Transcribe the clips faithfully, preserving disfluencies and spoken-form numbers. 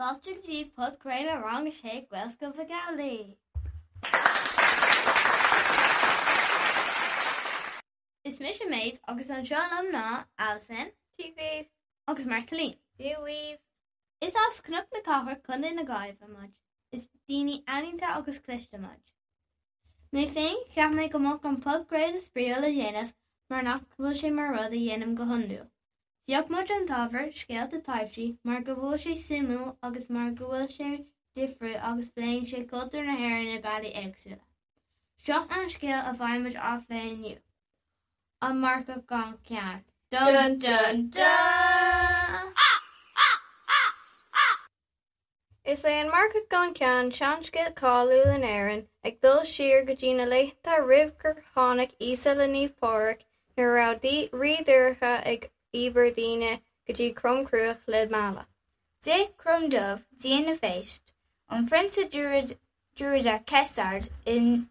Fáilte go dtí podchraoladh Rang a Sé Gaelscoil Mhic Amhlaigh. Is mise Maeve agus anseo liom ná Alison, Dia daoibh. agus Marceline. Dia daoibh. Is as Cnoc na Cathrach Contae na Gaillimhe muid. Is daoine ealaíonta agus cliste muid. Mé féin cheap mé go mbeadh an podchraoladh spraíúil a dhéanamh mar nach bhfuil sé mar rud a dhéanaim go hiondúil. Phioc muid an t-ábhar scéalta taibhsí mar go bhfuil sé suimiúil agus mar go bhfuil sé difriúil agus pléann sé cultúr na hÉireann i bealaí éagsúla. Seo an scéal a bheidh muid á phlé inniu. An Marcach gan Ceann. Dun dun dun! Is é an Marcach gan Ceann seanscéal cáiliúil in Éirinn, ag dul siar go dtí na laethanta roimh gur tháinig Íosa le Naomh Pádraig nuair a raibh Rí Dorcha ag íobairt daoine go dtí Crom Cruach le mealladh. D'ith Crom Dubh, dia na bpéist, an prionsa druide Cessair in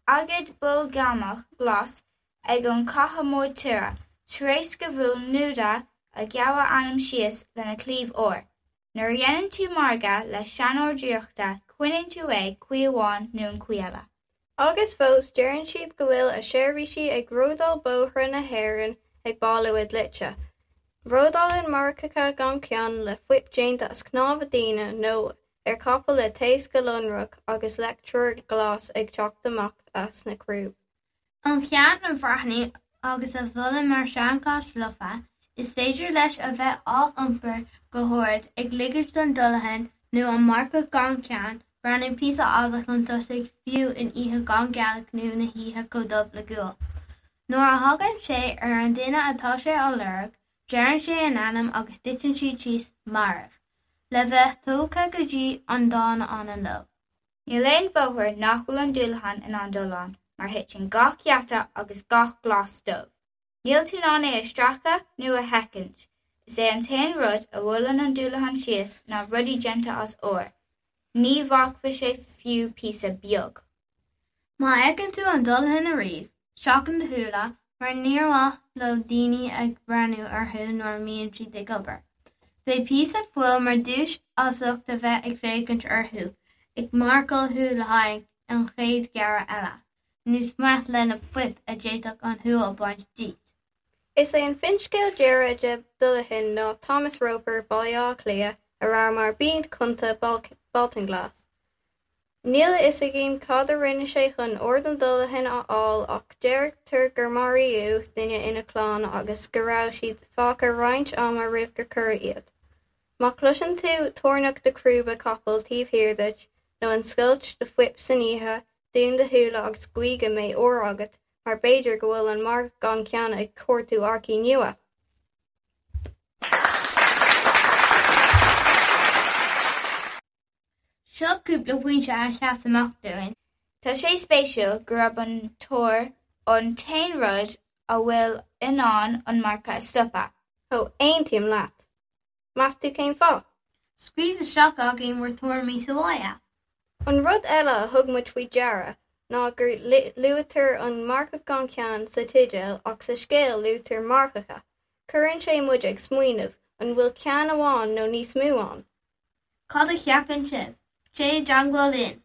aigéad bolgamach glas ag an chatha mór tire, tar éis go bhfuair Nuada a ghearr a anam síos lena chlaíomh óir. Nuair a dhéanann tú margadh le seanóir draíochta, coinníonn tú é caoi amháin nó an chaoi eile. Agus fós deireann siad go bhfuil a seirbhísigh ag ródáil bóithre na hÉireann ag bailiú a dlite. Ródálann marcacha gan ceann le fuip déanta as cnámha daoine nó ar chapall le taos go lonrach agus leictreoir glas ag teacht amach as na crúb. An ceann a bhreathnú agus a bholadh mar seanchat lofa, is féidir leis a bheith á iompar go hard ag ligint don Dullahan nó an marcach gan ceann breathnú píosa fada chun tosaigh fiú in oíche gan gealach nó na hoíche chomh dubh le gual. Nuair a thagann sé ar an duine atá sé á lorg, deireann sé a n-ainm agus titeann siad síos marbh, le bheith tógtha go dtí an domhan anonn leo. Níl aon bhóthar nach bhfuil an Dullahan in ann dul ann, mar thiteann gach geata agus gach glas dubh. Níl tú in ann é a stracadh nó a sheachaint. Is é an t-aon rud a bhuaileann an Dullahan síos ná rudaí déanta as ór. Ní bhacfaidh sé fiú píosa beag. Má fheiceann tú an Dullahan ariamh, seachain do shúile mar níor mhaith leo daoine ag breathnú orthu nuair a mbíonn siad ag obair. Beidh píosa fuail mar duais as ucht a bheith ag féachaint orthu, ag marcáil thú le haghaidh an chéad ghearradh eile, nó smeach lena fuip a d'fhéadfadh an shúil a bhaint díot. Is é an finscéal deiridh de Dullahan ná Thomas Roper, Baile Átha Cliath, a raibh mar bhun-chunta Baltinglass. Níl a fhios againn cad a rinne sé chun aird an Dullahan a fháil ach deirtear gur maraíodh duine ina chlann agus go raibh siad fágtha roinnt ama roimh gur cuireadh iad. Má chloiseann tú toirneach de chrúba capaill taobh thiar duit nó an scoilt de fuip san oíche, dún do shúile agus guí go mbeidh ór agat mar b'fhéidir go bhfuil an marcach gan ceann ag cuartú earcaí nua. Seo cúpla pointe a sheas amach dúinn. Tá sé spéisiúil go raibh an t-ór an t-aon rud a bhfuil in ann an marcach a stopadh. Ó, aontaím leat. Meas tú cén fáth? Scríobh isteach againn bhur tuairimí sa bhaile. An rud eile a thug muid faoi deara ná gur luaitear an marcach gan ceann sa teideal ach sa scéal luaitear marcacha. Cuireann sé muid ag smaoineamh, an bhfuil ceann amháin nó níos mó ann? Cad a cheapann sibh? Téigh i dteagmháil linn!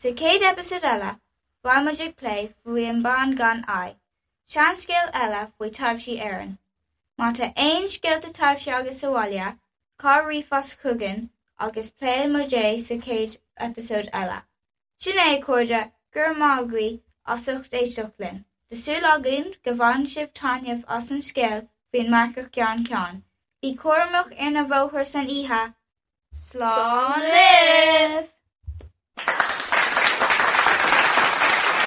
Sa chéad eipeasóid eile, beidh muid ag plé faoi an bean gan aghaidh, seanscéal eile faoi taibhsí Éireann. Má tá aon scéalta taibhsí agat sa bhaile, cuir ríomhphost chugainn agus pléifidh muid é sa chéad eipeasóid eile. Sin é a chairde, go raibh maith agaibh as ucht éisteacht linn. Tá súil againn go bhain sibh taitneamh as an scéal faoin marcach gan ceann. Bí cúramach ar na bóithre san oíche. Slán libh!